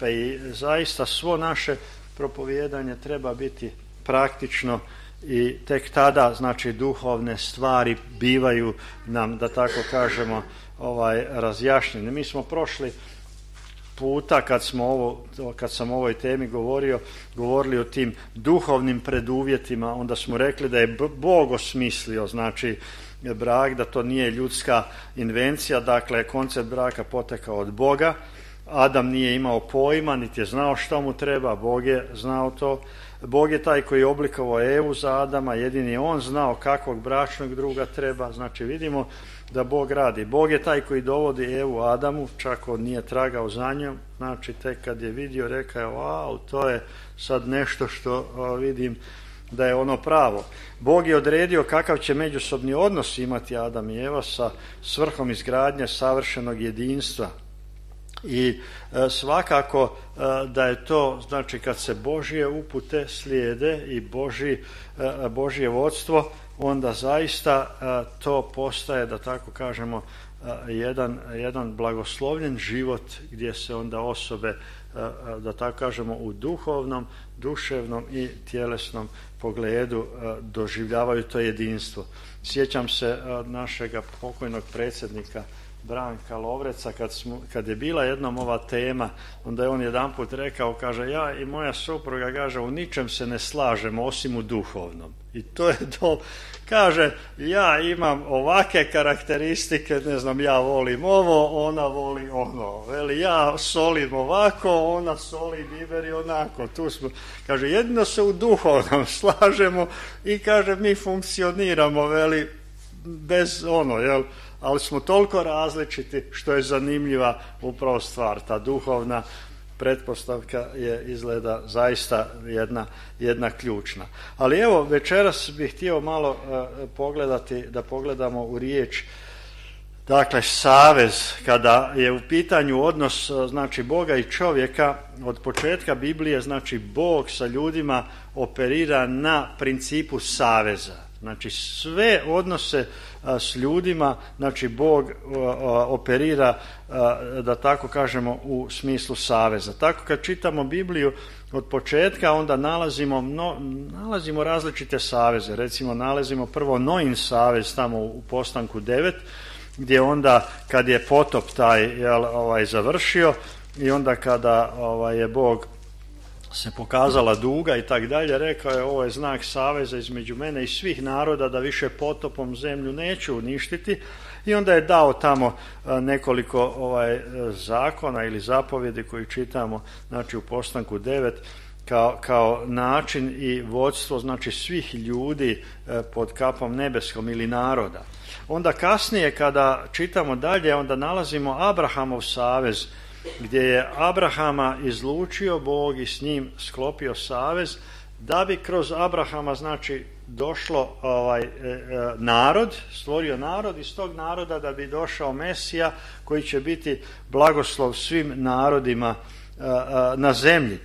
I zaista svo naše propovijedanje treba biti praktično i tek tada znači duhovne stvari bivaju nam, da tako kažemo, razjašnjene. Mi smo prošli puta kad sam o ovoj temi govorili o tim duhovnim preduvjetima, onda smo rekli da je Bog osmislio znači brak, da to nije ljudska invencija, dakle koncept braka potekao od Boga. Adam nije imao pojma, niti je znao što mu treba, Bog je znao to. Bog je taj koji je oblikovao Evu za Adama, jedini je on znao kakvog bračnog druga treba. Znači vidimo da Bog radi. Bog je taj koji dovodi Evu Adamu, čak on nije tragao za njom, znači tek kad je vidio rekao je wow, to je sad nešto što vidim da je ono pravo. Bog je odredio kakav će međusobni odnos imati Adam i Eva sa svrhom izgradnje savršenog jedinstva. I svakako da je to, znači kad se Božje upute slijede i Božje vodstvo, onda zaista to postaje, da tako kažemo, jedan blagoslovljen život gdje se onda osobe, da tako kažemo, u duhovnom, duševnom i tjelesnom pogledu doživljavaju to jedinstvo. Sjećam se našega pokojnog predsjednika Branka Lovreca, kad je bila jednom ova tema, onda je on jedanput rekao, kaže, ja i moja supruga, kaže, u ničem se ne slažemo osim u duhovnom. I to je to, kaže, ja imam ovake karakteristike, ne znam, ja volim ovo, ona voli ono, veli, ja solim ovako, ona soli biberi onako, tu smo, kaže, jedino se u duhovnom slažemo i kaže, mi funkcioniramo, veli, bez ono, jel, ali smo toliko različiti što je zanimljiva upravo stvar. Ta duhovna pretpostavka je izgleda zaista jedna ključna. Ali evo, večeras bih htio malo da pogledamo u riječ, dakle, savez, kada je u pitanju odnos znači Boga i čovjeka, od početka Biblije, znači Bog sa ljudima operira na principu saveza. Znači sve odnose s ljudima, znači Bog operira, da tako kažemo, u smislu saveza. Tako kad čitamo Bibliju od početka, onda nalazimo različite saveze. Recimo nalazimo prvo Noin savez tamo u Postanku 9, gdje onda kad je potop taj završio i onda kada je Bog se pokazala duga i tak dalje, rekao je, ovo je znak saveza između mene i svih naroda, da više potopom zemlju neću uništiti. I onda je dao tamo nekoliko zakona ili zapovjedi koji čitamo, znači u Postanku 9, kao način i vodstvo, znači svih ljudi pod kapom nebeskom ili naroda. Onda kasnije kada čitamo dalje, onda nalazimo Abrahamov savez, gdje je Abrahama izlučio Bog i s njim sklopio savez, da bi kroz Abrahama znači došlo narod, stvorio narod, iz tog naroda da bi došao Mesija koji će biti blagoslov svim narodima na zemlji.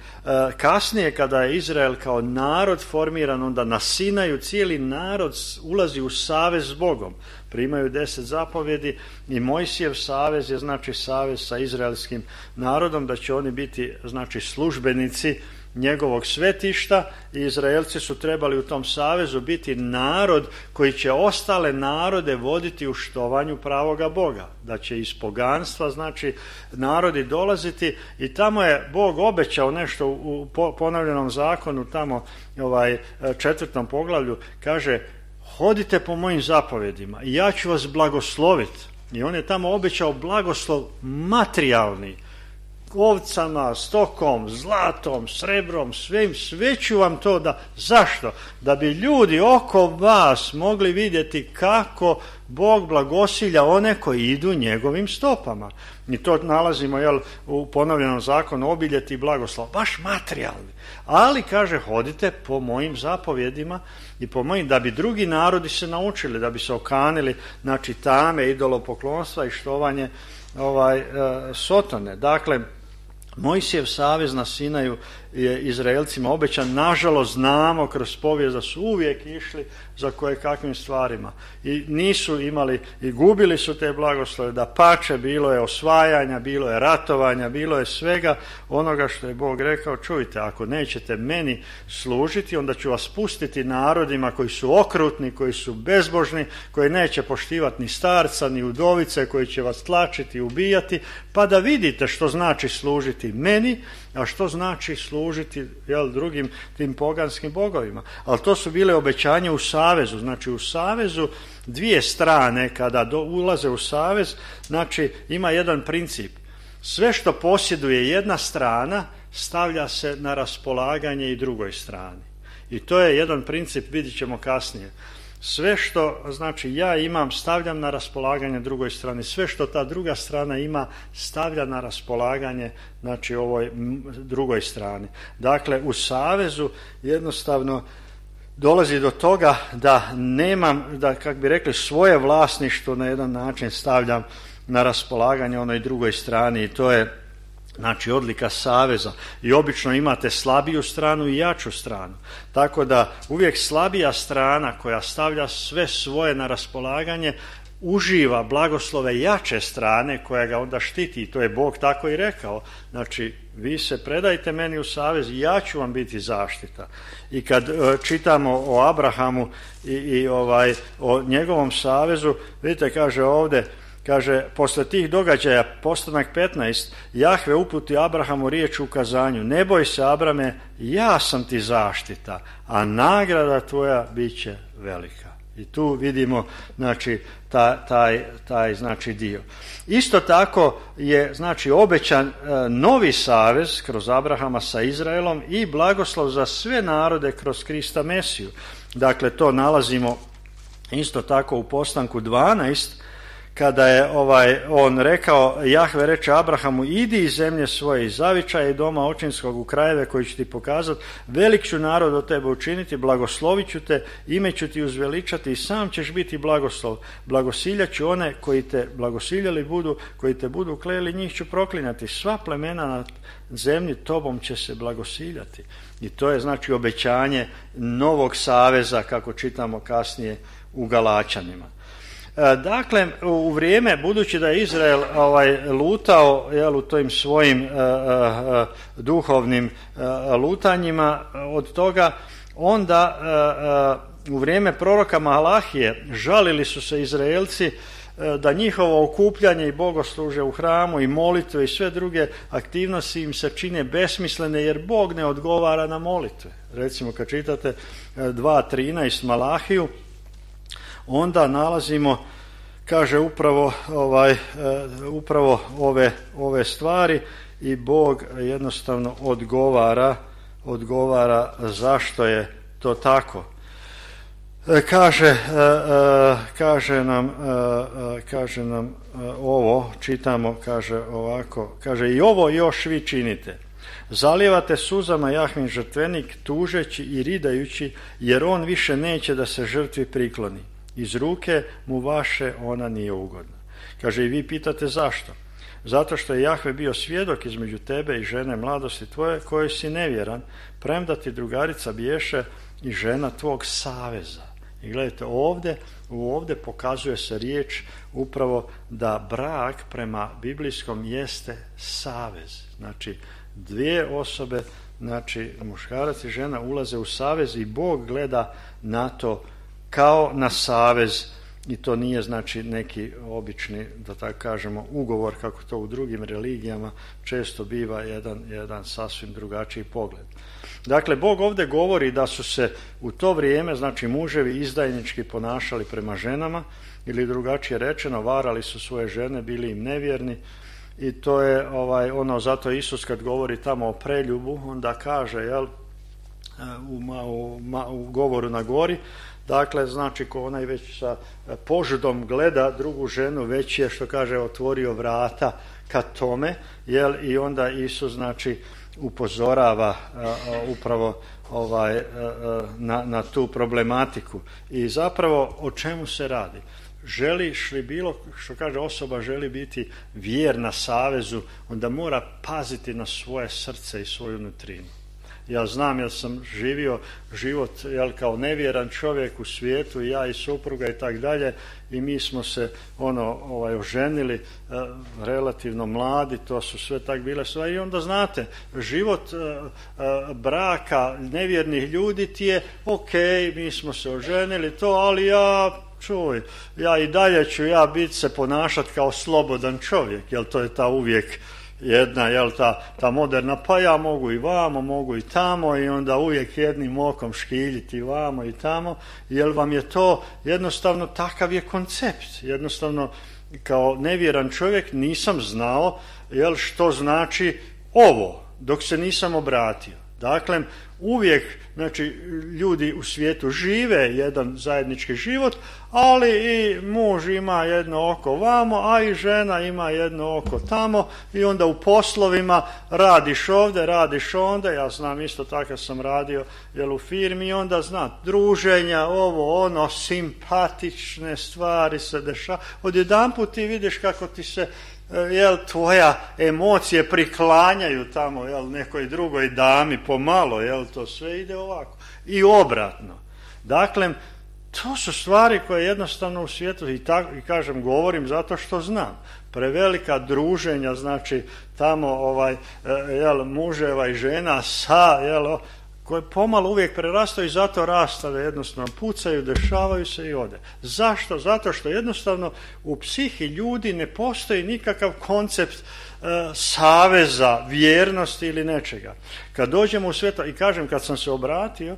Kasnije kada je Izrael kao narod formiran, onda na Sinaju cijeli narod ulazi u savez s Bogom. Primaju 10 zapovjedi i Mojsijev savez je znači savez sa izraelskim narodom, da će oni biti znači službenici njegovog svetišta i Izraelci su trebali u tom savezu biti narod koji će ostale narode voditi u štovanju pravoga Boga, da će iz poganstva znači narodi dolaziti i tamo je Bog obećao nešto u ponovljenom zakonu, tamo 4. poglavlju, kaže, hodite po mojim zapovjedima i ja ću vas blagosloviti. I on je tamo obećao blagoslov materijalni, ovcama, stokom, zlatom, srebrom, sve ću vam to da. Zašto? Da bi ljudi oko vas mogli vidjeti kako Bog blagosilja one koji idu njegovim stopama. I to nalazimo u ponovljenom zakonu, obiljeti i blagoslov, baš materijalni. Ali, kaže, hodite po mojim zapovjedima i po mojim, da bi drugi narodi se naučili, da bi se okanili, znači, tame, idolopoklonstva i štovanje Sotone. Dakle, Mojsijev savez na Sinaju je Izraelcima obećan. Nažalost znamo kroz povijest da su uvijek išli za kojekakvim stvarima i nisu imali i gubili su te blagoslove. Dapače, bilo je osvajanja, bilo je ratovanja, bilo je svega onoga što je Bog rekao. Čujte, ako nećete meni služiti, onda ću vas pustiti narodima koji su okrutni, koji su bezbožni, koji neće poštivati ni starca ni udovice, koji će vas tlačiti i ubijati, pa da vidite što znači služiti meni, a što znači služiti drugim tim poganskim bogovima. Ali to su bile obećanja u savezu. Znači u savezu dvije strane kada ulaze u savez, znači ima jedan princip. Sve što posjeduje jedna strana stavlja se na raspolaganje i drugoj strani. I to je jedan princip, vidjet ćemo kasnije. Sve što znači ja imam stavljam na raspolaganje drugoj strani, sve što ta druga strana ima stavlja na raspolaganje znači ovoj drugoj strani. Dakle, u savezu jednostavno dolazi do toga da nemam, da kako bi rekli, svoje vlasništvo na jedan način stavljam na raspolaganje onoj drugoj strani i to je znači odlika saveza. I obično imate slabiju stranu i jaču stranu. Tako da uvijek slabija strana koja stavlja sve svoje na raspolaganje uživa blagoslove jače strane koja ga onda štiti. I to je Bog tako i rekao. Znači, vi se predajte meni u savez i ja ću vam biti zaštita. I kad čitamo o Abrahamu i o njegovom savezu, vidite, kaže ovdje, kaže, posle tih događaja, postanak 15, Jahve uputi Abrahamu riječ u ukazanju: ne boj se, Abrame, ja sam ti zaštita, a nagrada tvoja bit će velika. I tu vidimo znači taj znači dio. Isto tako je znači obećan novi savez kroz Abrahama sa Izraelom i blagoslov za sve narode kroz Krista Mesiju. Dakle, to nalazimo isto tako u postanku 12, kada je on rekao, Jahve reče Abrahamu: idi iz zemlje svoje, iz zavičaja i doma očinskog u krajeve koji ću ti pokazati, velik ću narod od tebe učiniti, blagoslovit ću te, ime ću ti uzveličati i sam ćeš biti blagoslov. Blagosiljat ću one koji te blagosiljali budu, koji te budu kleli, njih ću proklinjati. Sva plemena na zemlji tobom će se blagosiljati. I to je znači obećanje novog saveza, kako čitamo kasnije u Galačanima. Dakle, u vrijeme, budući da je Izrael lutao u tojim svojim duhovnim lutanjima od toga, onda u vrijeme proroka Malahije žalili su se Izraelci da njihovo okupljanje i bogoslužje u hramu i molitve i sve druge aktivnosti im se čine besmislene jer Bog ne odgovara na molitve. Recimo kad čitate 2.13 Malahiju, onda nalazimo, kaže upravo ove stvari i Bog jednostavno odgovara zašto je to tako. Kaže nam ovo, čitamo, kaže ovako, kaže: i ovo još vi činite. Zalijevate suzama Jahvin žrtvenik, tužeći i ridajući, jer on više neće da se žrtvi prikloni. Iz ruke mu vaše ona nije ugodna. Kaže, i vi pitate zašto? Zato što je Jahve bio svjedok između tebe i žene mladosti tvoje, kojoj si nevjeran, premda ti drugarica biješe i žena tvog saveza. I gledajte, ovdje pokazuje se riječ upravo da brak prema biblijskom jeste savez. Znači, dvije osobe, znači muškarac i žena ulaze u savez i Bog gleda na to kao na savez i to nije znači neki obični, da tako kažemo, ugovor kako to u drugim religijama često biva jedan sasvim drugačiji pogled. Dakle, Bog ovdje govori da su se u to vrijeme, znači muževi izdajnički ponašali prema ženama ili drugačije rečeno, varali su svoje žene, bili im nevjerni i to je zato Isus kad govori tamo o preljubu, onda kaže, u govoru na gori, dakle, znači ko onaj već sa požudom gleda drugu ženu, već je, što kaže, otvorio vrata ka tome, i onda Isus znači upozorava upravo na tu problematiku. I zapravo o čemu se radi? Želiš li bilo, što kaže osoba, želi biti vjerna savezu, onda mora paziti na svoje srce i svoju nutrinu. Ja znam, jer sam živio život kao nevjeran čovjek u svijetu, i ja i supruga i tak dalje, i mi smo se oženili relativno mladi, to su sve tak bile stvari. I onda znate, život braka nevjernih ljudi ti je ok, mi smo se oženili to, ali ja i dalje ću biti se ponašati kao slobodan čovjek, jer to je ta uvijek jedna, ta moderna, pa ja mogu i vamo, mogu i tamo, i onda uvijek jednim okom škiljiti vamo i tamo, jer vam je to jednostavno, takav je koncept. Jednostavno, kao nevjeran čovjek nisam znao što znači ovo, dok se nisam obratio. Dakle, uvijek, znači, ljudi u svijetu žive jedan zajednički život, ali i muž ima jedno oko vamo, a i žena ima jedno oko tamo, i onda u poslovima radiš ovdje, radiš onda. Ja znam isto tako, sam radio u firmi, i onda druženja, ovo, ono, simpatične stvari se dešava. Odjedanput ti vidiš kako ti se tvoja emocije priklanjaju tamo nekoj drugoj dami pomalo, to sve ide ovako i obratno. Dakle, to su stvari koje jednostavno u svijetu, i kažem, govorim zato što znam, prevelika druženja, znači tamo muževa i žena sa koje pomalo uvijek prerastaju, i zato rastave jednostavno pucaju, dešavaju se i ode. Zašto? Zato što jednostavno u psihi ljudi ne postoji nikakav koncept saveza, vjernosti ili nečega. Kad dođemo u svijet, i kažem, kad sam se obratio,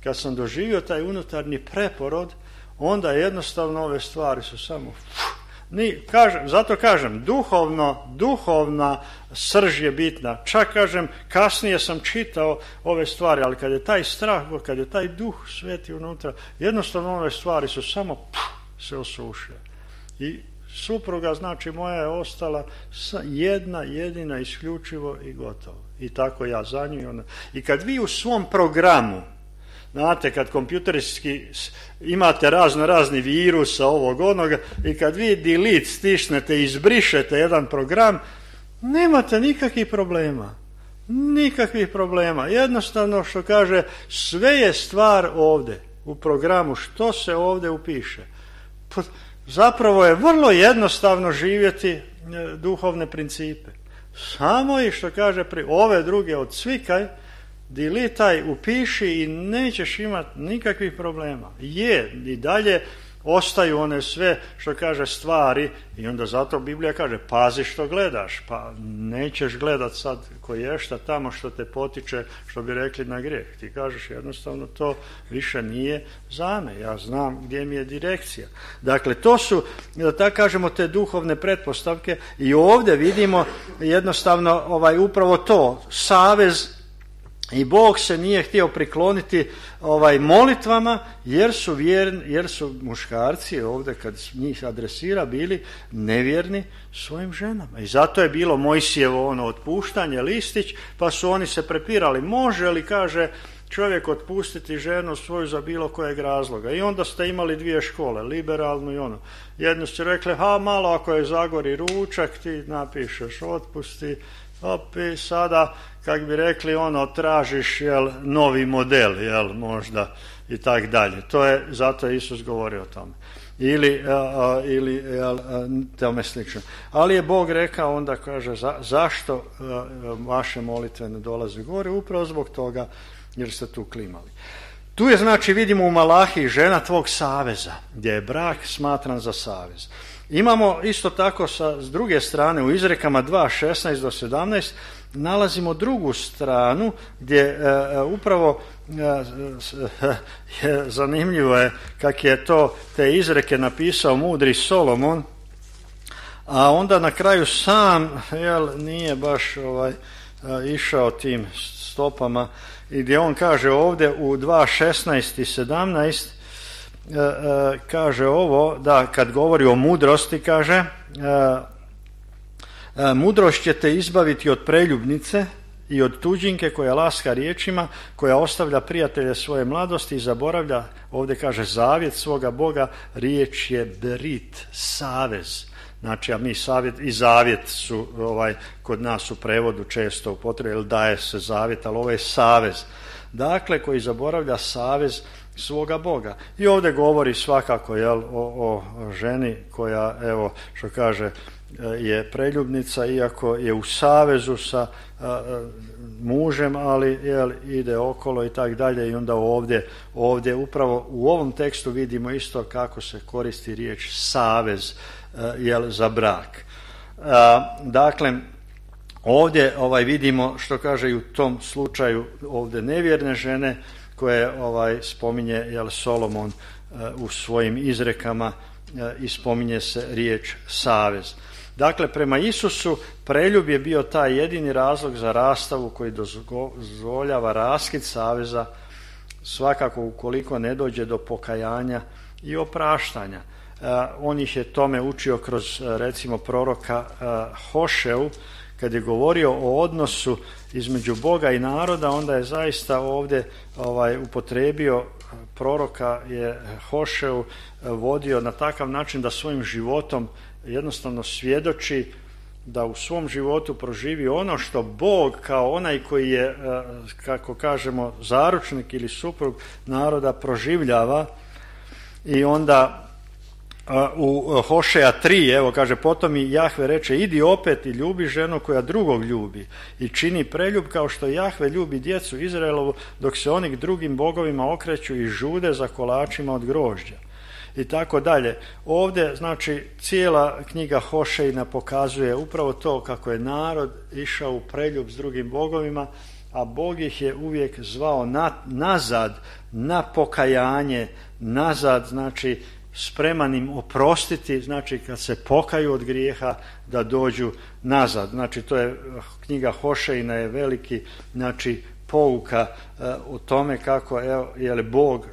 kad sam doživio taj unutarnji preporod, onda jednostavno ove stvari su samo... Zato kažem, duhovna srž je bitna. Čak kažem, kasnije sam čitao ove stvari, ali kad je taj strah, kad je taj duh sveti unutra, jednostavno ove stvari su samo se osušile. I supruga, znači moja, je ostala jedna jedina, isključivo i gotovo. I tako ja za nju. I kad vi u svom programu, znate, kad kompjuterski imate razni virusa ovog onoga, i kad vi delete stisnete i izbrišete jedan program, nemate nikakvih problema. Nikakvih problema. Jednostavno, što kaže, sve je stvar ovdje u programu, što se ovdje upiše. Zapravo je vrlo jednostavno živjeti duhovne principe. Samo i što kaže, ove druge odsvikaj, dilitaj, upiši, i nećeš imati nikakvih problema. I dalje ostaju one sve, što kaže, stvari, i onda zato Biblija kaže, pazi što gledaš, pa nećeš gledat sad koješta tamo što te potiče, što bi rekli, na grijeh. Ti kažeš jednostavno, to više nije za me, ja znam gdje mi je direkcija. Dakle, to su, da tako kažemo, te duhovne pretpostavke, i ovdje vidimo jednostavno upravo to, savez. I Bog se nije htio prikloniti molitvama, jer su muškarci ovdje, kad njih adresira, bili nevjerni svojim ženama. I zato je bilo Mojsijevo otpuštanje, listić, pa su oni se prepirali. Može li, kaže, čovjek otpustiti ženu svoju za bilo kojeg razloga? I onda ste imali dvije škole, liberalnu i ono. Jednu ste rekli, malo ako je zagori ručak, ti napišeš otpusti, i sada, kak bi rekli, tražiš novi model, možda, i tak dalje. Zato je Isus govorio o tome. Ili tome slično. Ali je Bog rekao, onda kaže, zašto vaše molitve ne dolaze gore? Upravo zbog toga, jer ste tu klimali. Tu je, znači, vidimo u Malahiji, žena tvog saveza, gdje je brak smatran za savez. Imamo isto tako s druge strane u Izrekama 2, 16-17 nalazimo drugu stranu gdje upravo zanimljivo je kak je te izreke napisao mudri Solomon, a onda na kraju sam nije baš išao tim stopama, i gdje on kaže ovdje u 2, 16 i 17 kaže ovo, da kad govori o mudrosti, kaže mudrost će te izbaviti od preljubnice i od tuđinke koja laska riječima, koja ostavlja prijatelje svoje mladosti i zaboravlja, ovdje kaže, zavjet svoga Boga. Riječ je brit, savez. Znači, a mi savjet i zavjet su kod nas u prevodu često upotrebljeni, jer daje se zavjet, ali ovo je savez. Dakle, koji zaboravlja savez svoga Boga. I ovdje govori svakako o ženi koja, evo što kaže, je preljubnica, iako je u savezu sa mužem, ali ide okolo i tak dalje. I onda ovdje upravo u ovom tekstu vidimo isto kako se koristi riječ savez za brak. Dakle, ovdje vidimo što kaže i u tom slučaju ovdje nevjerne žene koje spominje Solomon u svojim izrekama i spominje se riječ savez. Dakle, prema Isusu preljub je bio taj jedini razlog za rastavu koji dozvoljava raskid saveza, svakako ukoliko ne dođe do pokajanja i opraštanja. On ih je tome učio kroz recimo proroka Hošeu, kad je govorio o odnosu između Boga i naroda, onda je zaista ovdje upotrijebio proroka je Hošeu vodio na takav način da svojim životom jednostavno svjedoči da u svom životu proživi ono što Bog kao onaj koji je, kako kažemo, zaručnik ili suprug naroda proživljava. I onda u Hošeja 3, evo kaže, potom i Jahve reče, idi opet i ljubi ženu koja drugog ljubi i čini preljub kao što Jahve ljubi djecu Izraelovu, dok se oni k drugim bogovima okreću i žude za kolačima od grožđa. I tako dalje. Ovdje, znači, cijela knjiga Hošejna pokazuje upravo to kako je narod išao u preljub s drugim bogovima, a Bog ih je uvijek zvao nazad, na pokajanje, nazad, znači spreman im oprostiti, znači kad se pokaju od grijeha da dođu nazad. Znači to je knjiga Hošejna je veliki, znači pouka o tome kako Bog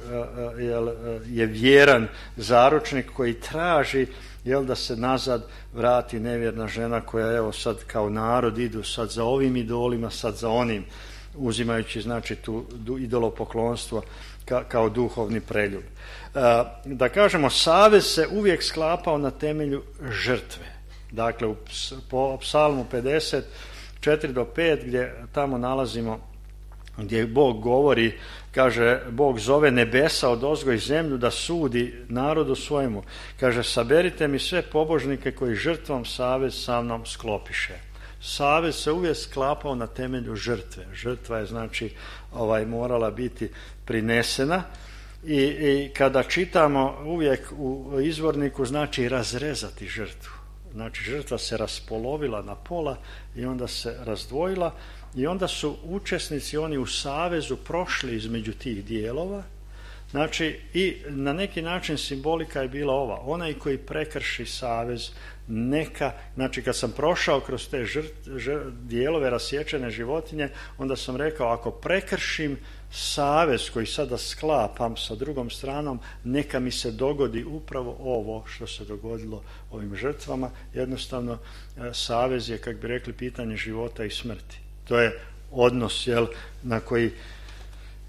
je vjeran zaručnik koji traži da se nazad vrati nevjerna žena koja sad kao narod idu sad za ovim idolima, sad za onim, uzimajući znači tu idolopoklonstvo kao duhovni preljub. Da kažemo, savez se uvijek sklapao na temelju žrtve. Dakle, po psalmu 54 do 5 gdje tamo nalazimo gdje Bog govori, kaže, Bog zove nebesa odozgo i zemlju da sudi narodu svojemu. Kaže, saberite mi sve pobožnike koji žrtvom savez sa mnom sklopiše. Savez se uvijek sklapao na temelju žrtve. Žrtva je znači morala biti prinesena i kada čitamo uvijek u izvorniku znači razrezati žrtvu. Znači žrtva se raspolovila na pola i onda se razdvojila i onda su učesnici oni u savezu prošli između tih dijelova. Znači i na neki način simbolika je bila ova, onaj koji prekrši savez neka, znači kad sam prošao kroz te dijelove rasječene životinje, onda sam rekao ako prekršim savez koji sada sklapam sa drugom stranom, neka mi se dogodi upravo ovo što se dogodilo ovim žrtvama. Jednostavno savez je, kako bi rekli, pitanje života i smrti. To je odnos na koji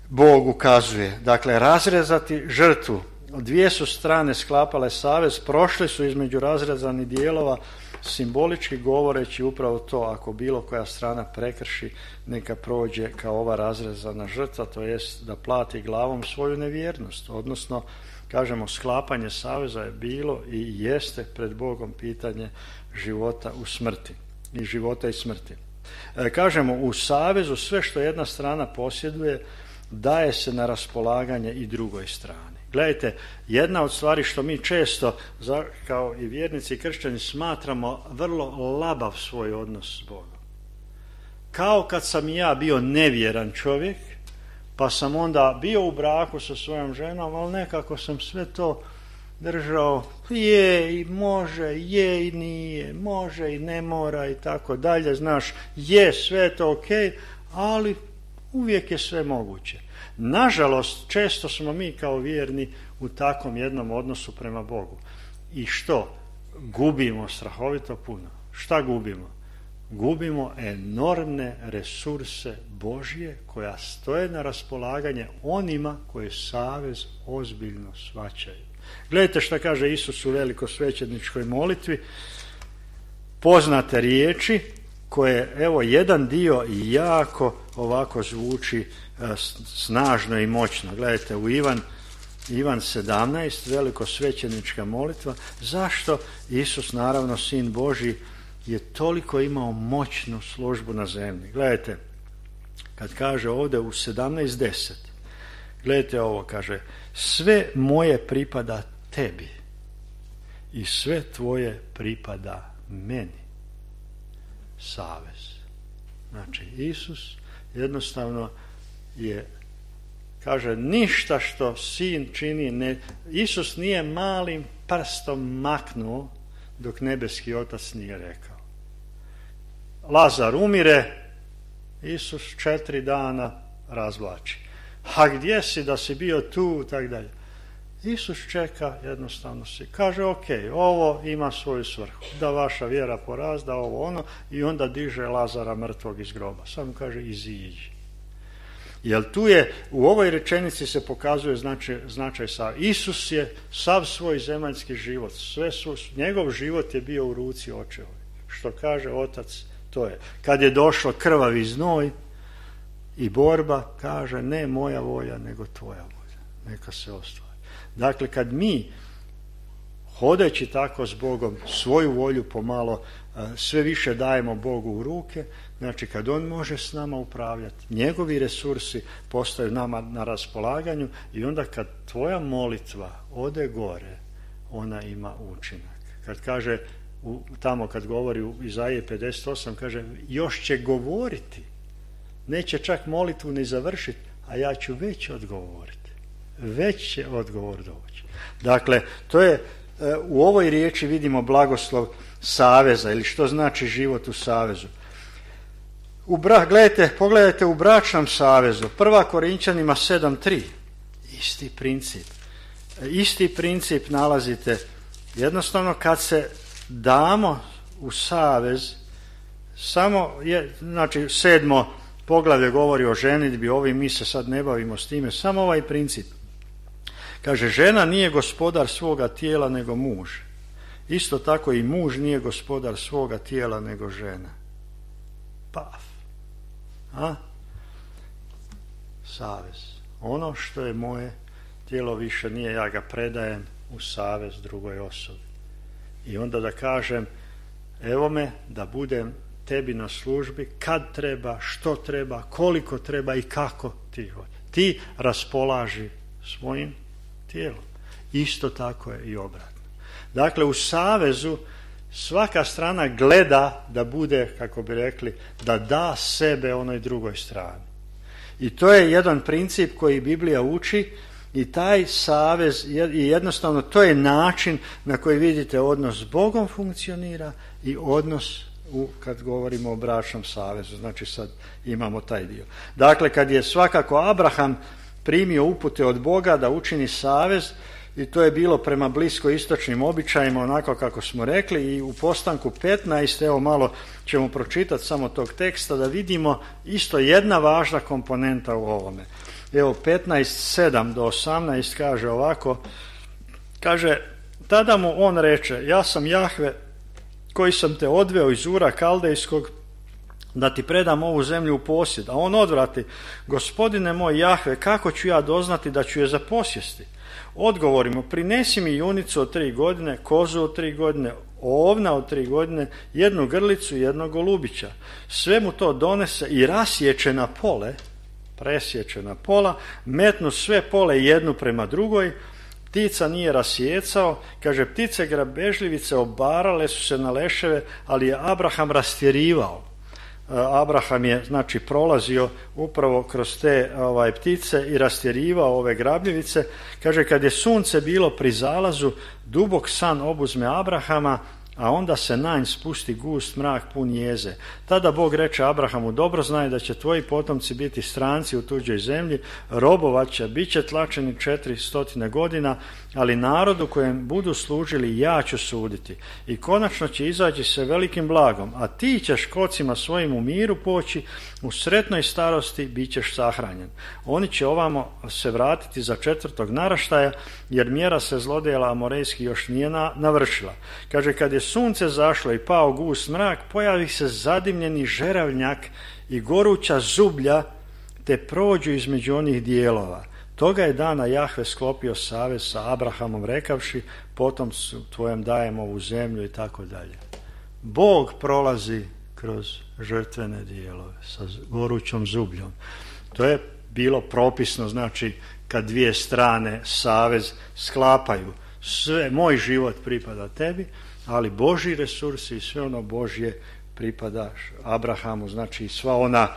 Bog ukazuje. Dakle, razrezati žrtvu. Dvije su strane sklapale savez, prošli su između razrezanih dijelova, simbolički govoreći upravo to, ako bilo koja strana prekrši, neka prođe kao ova razrezana žrtva, to jest da plati glavom svoju nevjernost. Odnosno, kažemo, sklapanje saveza je bilo i jeste pred Bogom pitanje života u smrti i života i smrti. Kažemo, u savezu sve što jedna strana posjeduje daje se na raspolaganje i drugoj strani. Gledajte, jedna od stvari što mi često kao i vjernici i kršćani smatramo vrlo labav svoj odnos s Bogom. Kao kad sam ja bio nevjeran čovjek, pa sam onda bio u braku sa svojom ženom, ali nekako sam sve to držao, je i može, je i nije, može i ne mora i tako dalje, znaš, je sve to ok, ali uvijek je sve moguće. Nažalost, često smo mi kao vjerni u takvom jednom odnosu prema Bogu. I što? Gubimo strahovito puno. Šta gubimo? Gubimo enormne resurse Božje koja stoje na raspolaganje onima koji savez ozbiljno shvaćaju. Gledajte šta kaže Isus u velikosvećeničkoj molitvi. poznate riječi koje, evo, jedan dio jako ovako zvuči snažno i moćno. Gledajte, u Ivan 17, velikosvećenička molitva. Zašto Isus, naravno Sin Božji, je toliko imao moćnu službu na zemlji? Gledajte, kad kaže ovdje u 17:10, gledajte ovo, kaže: sve moje pripada tebi i sve tvoje pripada meni. Savez. Znači, Isus jednostavno je, kaže, ništa što sin čini, Isus nije malim prstom maknuo dok nebeski Otac nije rekao. Lazar umire, Isus 4 dana razvlači. A gdje si, da si bio tu, tak dalje. Isus čeka, jednostavno si kaže: ok, ovo ima svoju svrhu, da vaša vjera porazda, ovo ono, i onda diže Lazara mrtvog iz groba. Samo kaže: iziđi. Jer tu je, u ovoj rečenici se pokazuje značaj sa. Isus je sav svoj zemaljski život, njegov život je bio u ruci Očevoj. Što kaže Otac, to je. Kad je došlo krvavi znoj i borba, kaže: ne moja volja, nego tvoja volja. Neka se ostvari. Dakle, kad mi, hodeći tako s Bogom, svoju volju pomalo sve više dajemo Bogu u ruke, znači kad On može s nama upravljati, njegovi resursi postaju nama na raspolaganju, i onda kad tvoja molitva ode gore, ona ima učinak. Kad kaže, tamo kad govori u Izaiji 58, kaže: još će govoriti, neće čak molitvu ni završiti, a ja ću već odgovoriti. Već će odgovor doći. Dakle, to je, u ovoj riječi vidimo blagoslov saveza, ili što znači život u savezu. Pogledajte u bračnom savezu, 1. Korinčanima 7:3, isti princip nalazite. Jednostavno, kad se damo u savez, samo je, znači 7. poglavlje govori o ženidbi, mi se sad ne bavimo s time, samo ovaj princip. Kaže: žena nije gospodar svoga tijela nego muž. Isto tako i muž nije gospodar svoga tijela nego žena. Paf. Savez. Ono što je moje tijelo više nije, ja ga predajem u savez drugoj osobi. I onda da kažem: evo me da budem tebi na službi kad treba, što treba, koliko treba i kako ti hoćeš. Ti raspolaži svojim tijelom. Isto tako je i obratno. Dakle, u savezu svaka strana gleda da bude, kako bi rekli, da da sebe onoj drugoj strani. I to je jedan princip koji Biblija uči, i taj savez, i jednostavno to je način na koji, vidite, odnos s Bogom funkcionira i odnos kad govorimo o bračnom savezu. Znači sad imamo taj dio. Dakle, kad je svakako Abraham primio upute od Boga da učini savez, i to je bilo prema bliskoistočnim običajima, onako kako smo rekli, i u Postanku 15, evo malo ćemo pročitati samo tog teksta da vidimo isto jedna važna komponenta u ovome. Evo 15:7 do 18 kaže ovako, kaže: tada mu on reče: ja sam Jahve koji sam te odveo iz Ura Kaldejskog da ti predam ovu zemlju u posjed. A on odvrati: gospodine moj Jahve, kako ću ja doznati da ću je zaposjesti? Odgovorimo: prinesi mi junicu od 3 godine, kozu od 3 godine, ovna od 3 godine, 1 grlicu i 1 golubića. Sve mu to donese i presječe na pola, metnu sve pole jednu prema drugoj. Ptica nije rasjecao, kaže: ptice grabežljivice obarale su se na leševe, ali je Abraham rastjerivao. Abraham je, znači, prolazio upravo kroz te ptice i rastjerivao ove grabljivice. Kaže: kad je sunce bilo pri zalazu, dubok san obuzme Abrahama, a onda se na nj spusti gust mrak pun jeze. Tada Bog reče Abrahamu: dobro znaj da će tvoji potomci biti stranci u tuđoj zemlji, robovat će, bit će tlačeni 400 godina, ali narodu kojem budu služili ja ću suditi. I konačno će izaći se velikim blagom, a ti ćeš kocima svojim u miru poći, u sretnoj starosti bit ćeš sahranjen. Oni će ovamo se vratiti za 4. naraštaja, jer mjera se zlodjela amorejski još nije navršila. Kaže: kad je sunce zašlo i pao gust mrak, pojavi se zadimljeni žeravnjak i goruća zublja, te prođu između onih dijelova. Toga je dana Jahve sklopio savez sa Abrahamom rekavši, potomstvu tvojem dajem ovu zemlju i tako dalje. Bog prolazi kroz žrtvene dijelove sa gorućom zubljom. To je bilo propisno, znači kad dvije strane savez sklapaju. Sve, moj život pripada tebi, ali Božji resursi i sve ono Božje pripada Abrahamu, znači sva ona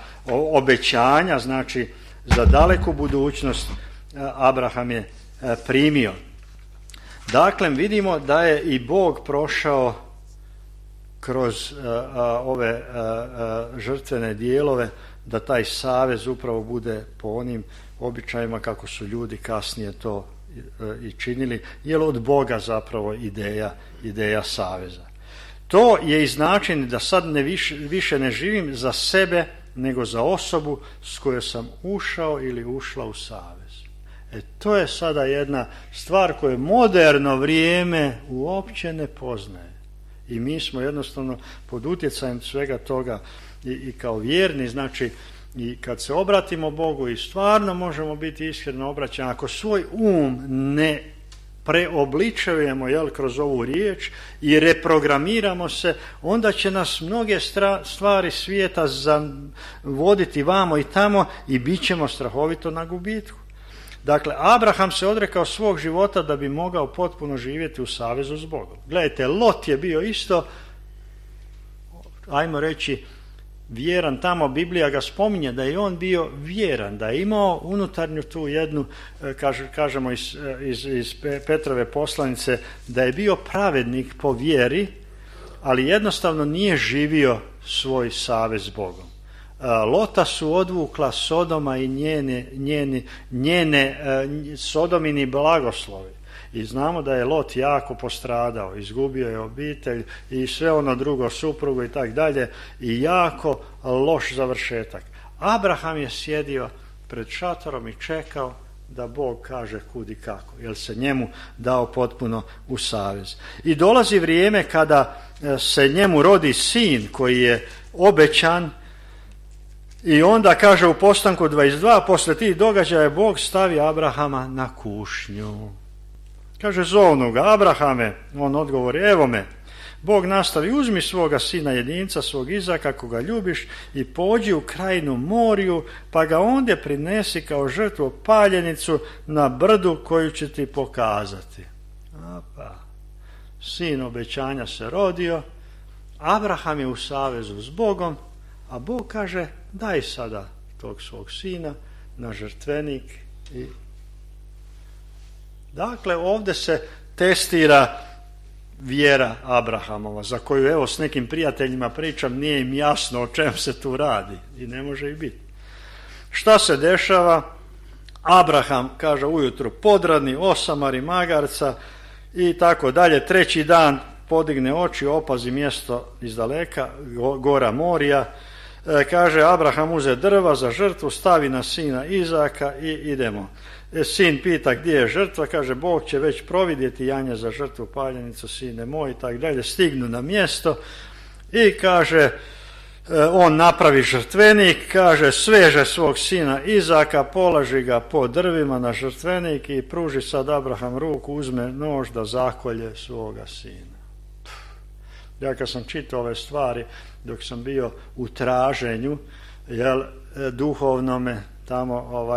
obećanja, znači za daleku budućnost Abraham je primio. Dakle, vidimo da je i Bog prošao kroz ove žrtvene dijelove, da taj savez upravo bude po onim običajima kako su ljudi kasnije to i činili, jer od Boga zapravo ideja saveza. To je i značenje da sad više ne živim za sebe, nego za osobu s kojoj sam ušao ili ušla u savez. To je sada jedna stvar koju moderno vrijeme uopće ne poznaje. I mi smo jednostavno pod utjecajem svega toga i kao vjerni, znači i kad se obratimo Bogu i stvarno možemo biti iskreno obraćani, ako svoj ne preobličujemo kroz ovu riječ i reprogramiramo se, onda će nas mnoge stvari svijeta voditi vamo i tamo i bit ćemo strahovito na gubitku. Dakle, Abraham se odrekao svog života da bi mogao potpuno živjeti u savezu s Bogom. Gledajte, Lot je bio isto, ajmo reći, vjeran. Tamo Biblija ga spominje da je on bio vjeran, da je imao unutarnju tu jednu, kažemo iz Petrove poslanice, da je bio pravednik po vjeri, ali jednostavno nije živio svoj savez s Bogom. Lota su odvukla Sodoma i njene Sodomini blagoslovi. I znamo da je Lot jako postradao, izgubio je obitelj i sve ono drugo, suprugu i tak dalje, i jako loš završetak. Abraham je sjedio pred šatorom i čekao da Bog kaže kud i kako, jer se njemu dao potpuno u savez. I dolazi vrijeme kada se njemu rodi sin koji je obećan, i onda kaže u Postanku 22, posle tih događaja Bog stavi Abrahama na kušnju. Kaže, zovnu ga, Abrahame, on odgovori, evo me. Bog nastavi, uzmi svoga sina jedinca, svog Izaka, koga ljubiš, i pođi u krajinu Moriju, pa ga ondje prinesi kao žrtvu paljenicu na brdu koju će ti pokazati. Sin obećanja se rodio, Abraham je u savezu s Bogom, a Bog kaže, daj sada tog svog sina na žrtvenik. Dakle, ovdje se testira vjera Abrahamova, za koju evo s nekim prijateljima pričam, nije im jasno o čem se tu radi i ne može i biti. Šta se dešava? Abraham, kaže, ujutro podradni, osamari magarca i tako dalje. Treći dan podigne oči, opazi mjesto izdaleka, gora Morija. Kaže, Abraham uze drva za žrtvu, stavi na sina Izaka i idemo. Sin pita gdje je žrtva, kaže, Bog će već providjeti janje za žrtvu paljenicu, sine moj, i tako dalje. Stignu na mjesto i kaže, on napravi žrtvenik, kaže, sveže svog sina Izaka, položi ga po drvima na žrtvenik i pruži sad Abraham ruku, uzme nož da zakolje svoga sina. Ja kad sam čitao ove stvari, dok sam bio u traženju, duhovnome, tamo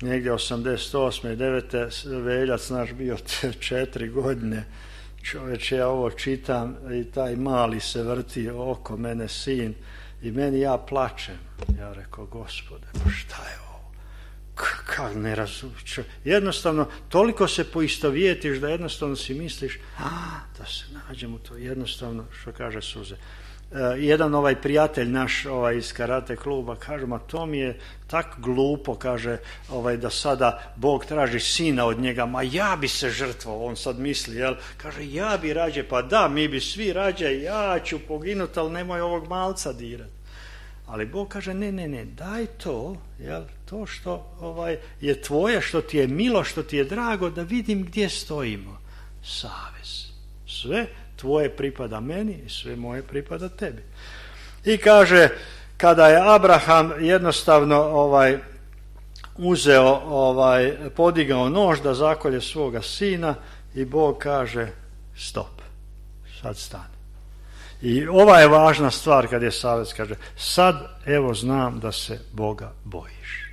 negdje 88. i 9. veljac naš bio 4 godine. Čovječe, ja ovo čitam i taj mali se vrti oko mene, sin, i meni ja plačem. Ja rekao, Gospode, šta je ovo? Kako ne razumiješ? Jednostavno, toliko se poistovjetiš da jednostavno si misliš, da se nađem u to, jednostavno, što kaže suze. Jedan prijatelj naš iz karate kluba kaže, ma to mi je tak glupo, kaže, da sada Bog traži sina od njega, ma ja bi se žrtvovao, on sad misli, kaže, ja bi rađe, pa da, mi bi svi rađe, ja ću poginuti, ali nemoj ovog malca dirati. Ali Bog kaže, ne, daj to, to što je tvoje, što ti je milo, što ti je drago, da vidim gdje stojimo. Savez. Sve tvoje pripada meni i sve moje pripada tebi. I kaže, kada je Abraham jednostavno uzeo, podigao nož da zakolje svoga sina i Bog kaže stop, sad stani. I ova je važna stvar kad je savez, kaže sad evo znam da se Boga bojiš.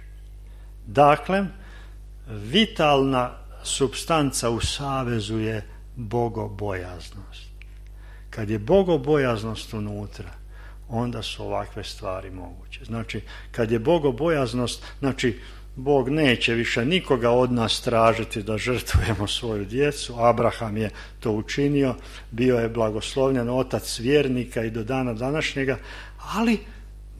Dakle, vitalna supstanca u savezu je bogobojaznost. Kad je bogobojaznost unutra, onda su ovakve stvari moguće. Znači, kad je bogobojaznost, znači Bog neće više nikoga od nas tražiti da žrtvujemo svoju djecu. Abraham je to učinio, bio je blagoslovljen otac vjernika i do dana današnjega, ali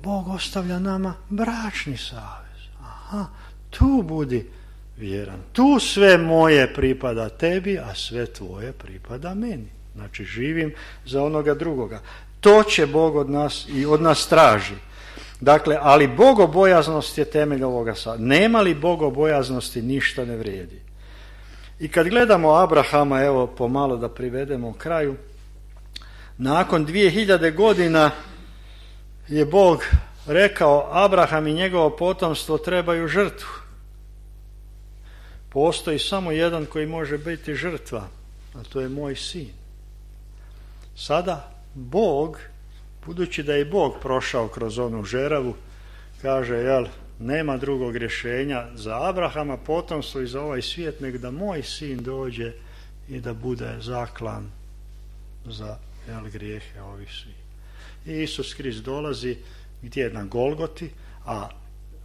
Bog ostavlja nama bračni savez. Aha, tu budi vjeran. Tu sve moje pripada tebi, a sve tvoje pripada meni. Znači, živim za onoga drugoga. To će Bog od nas i od nas traži. Dakle, ali bogobojaznost je temelj ovoga sada. Nema li bogobojaznosti, ništa ne vrijedi. I kad gledamo Abrahama, evo pomalo da privedemo kraju, nakon 2000 godina je Bog rekao, Abraham i njegovo potomstvo trebaju žrtvu. Postoji samo jedan koji može biti žrtva, a to je moj sin. Sada Bog, budući da je Bog prošao kroz onu žeravu, kaže, nema drugog rješenja za Abrahama potomstvo i za ovaj svijet, nego da moj sin dođe i da bude zaklan za grijehe ovih svih. I Isus Krist dolazi gdje je na Golgoti, a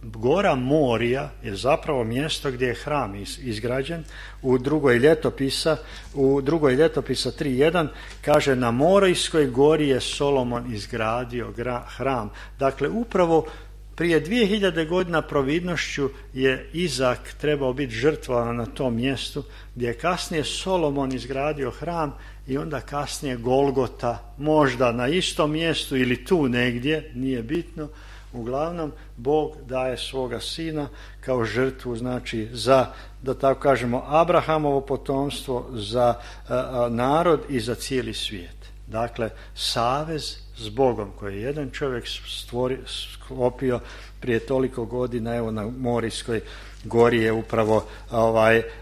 Gora Morija je zapravo mjesto gdje je hram izgrađen. U drugoj ljetopisa 3.1 kaže, na Morijskoj gori je Solomon izgradio hram. Dakle, upravo prije 2000 godina providnošću je Izak trebao biti žrtvovan na tom mjestu, gdje je kasnije Solomon izgradio hram i onda kasnije Golgota, možda na istom mjestu ili tu negdje, nije bitno. Uglavnom, Bog daje svoga sina kao žrtvu, znači za, da tako kažemo, Abrahamovo potomstvo, za narod i za cijeli svijet. Dakle, savez s Bogom koji je jedan čovjek sklopio prije toliko godina, evo na Morijskoj gori je upravo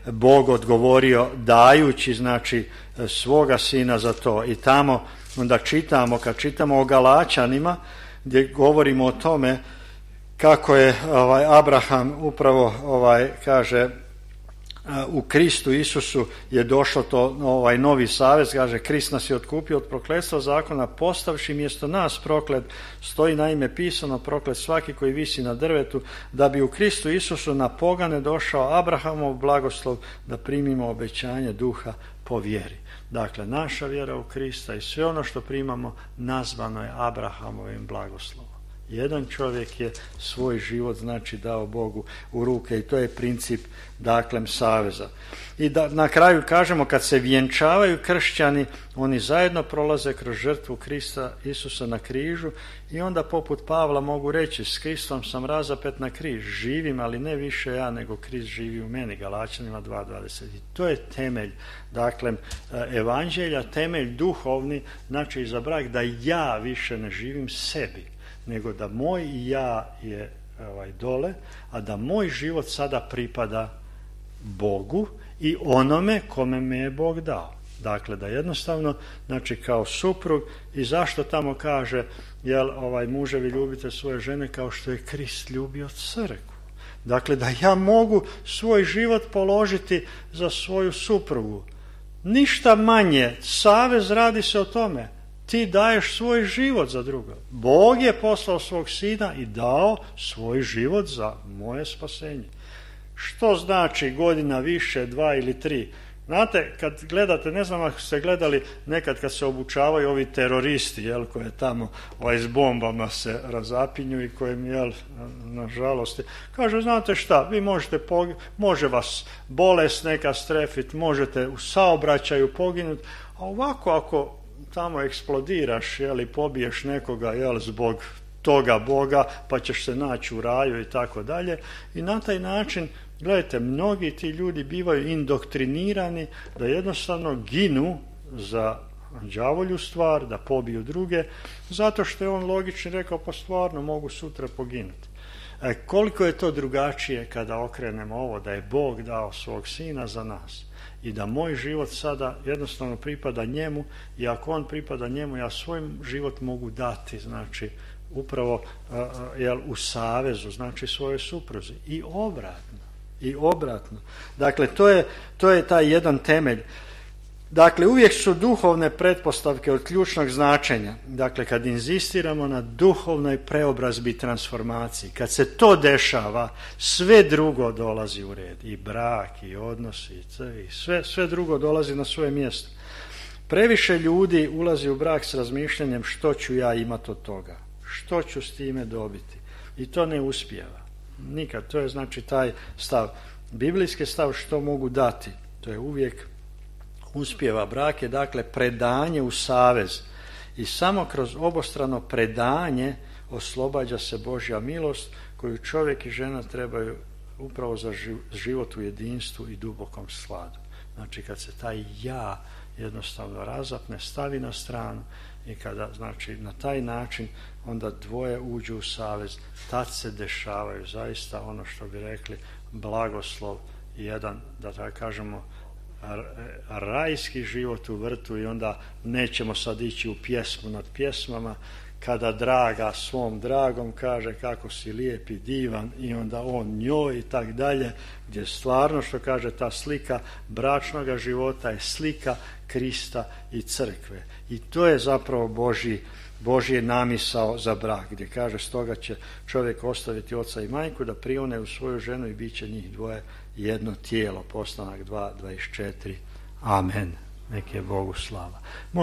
Bog odgovorio dajući, znači, svoga sina za to. I tamo onda čitamo, kad čitamo o Galačanima, gdje govorimo o tome kako je Abraham upravo kaže u Kristu Isusu je došlo to novi savez, kaže Krist nas je otkupio od prokletstva zakona postavši mjesto nas proklet, stoji naime pisano proklet svaki koji visi na drvetu, da bi u Kristu Isusu na pogane došao Abrahamov blagoslov da primimo obećanje duha po vjeri. Dakle, naša vjera u Krista i sve ono što primamo nazvano je Abrahamovim blagoslovom. Jedan čovjek je svoj život, znači, dao Bogu u ruke i to je princip, dakle, saveza. I da na kraju kažemo, kad se vjenčavaju kršćani, oni zajedno prolaze kroz žrtvu Krista Isusa na križu i onda poput Pavla mogu reći, s Kristom sam razapet na križ, živim, ali ne više ja, nego Krist živi u meni, Galačanima 2.20. I to je temelj, dakle, evanđelja, temelj duhovni, znači za brak, da ja više ne živim sebi, nego da moj ja je dole, a da moj život sada pripada Bogu i onome kome me je Bog dao. Dakle, da jednostavno, znači kao suprug, i zašto tamo kaže, muževi ljubite svoje žene kao što je Krist ljubio crkvu. Dakle, da ja mogu svoj život položiti za svoju suprugu. Ništa manje, savez radi se o tome. Ti daješ svoj život za drugo. Bog je poslao svog sina i dao svoj život za moje spasenje. Što znači godina više, 2 ili 3? Znate, kad gledate, ne znam ako ste gledali nekad kad se obučavaju ovi teroristi, koje tamo s bombama se razapinju i kojim, nažalost, kaže, znate šta, vi može vas bolest neka strefiti, možete u saobraćaju poginuti, a ovako ako tamo eksplodiraš, pobiješ nekoga, zbog toga Boga, pa ćeš se naći u raju i tako dalje. I na taj način, gledajte, mnogi ti ljudi bivaju indoktrinirani da jednostavno ginu za đavolju stvar, da pobiju druge, zato što je on logično rekao, pa stvarno mogu sutra poginuti. Koliko je to drugačije kada okrenemo ovo, da je Bog dao svog sina za nas i da moj život sada jednostavno pripada njemu, i ako on pripada njemu, ja svoj život mogu dati, znači upravo u savezu, znači svojoj supruzi, i obratno. Dakle, to je taj jedan temelj. Dakle, uvijek su duhovne pretpostavke od ključnog značenja. Dakle, kad inzistiramo na duhovnoj preobrazbi i transformaciji, kad se to dešava, sve drugo dolazi u red. I brak, i odnosi, i sve drugo dolazi na svoje mjesto. Previše ljudi ulazi u brak s razmišljanjem što ću ja imati od toga, što ću s time dobiti. I to ne uspijeva. Nikad. To je znači taj stav. Biblijski stav što mogu dati. To je uvijek uspijeva. Brak je dakle predanje u savez. I samo kroz obostrano predanje oslobađa se Božja milost koju čovjek i žena trebaju upravo za život u jedinstvu i dubokom sladu. Znači kad se taj ja jednostavno razapne, stavi na stranu i kada znači na taj način onda dvoje uđu u savez, tad se dešavaju zaista ono što bi rekli blagoslov i jedan, da tako kažemo, rajski život u vrtu. I onda nećemo sad ići u pjesmu nad pjesmama kada draga svom dragom kaže kako si lijep i divan i onda on njoj i tak dalje, gdje stvarno što kaže ta slika bračnoga života je slika Krista i crkve. I to je zapravo Božji namisao za brak, gdje kaže stoga će čovjek ostaviti oca i majku da prione u svoju ženu i bit će njih dvoje jedno tijelo. Postanak 2:24. Amen. Nek je Bogu slava.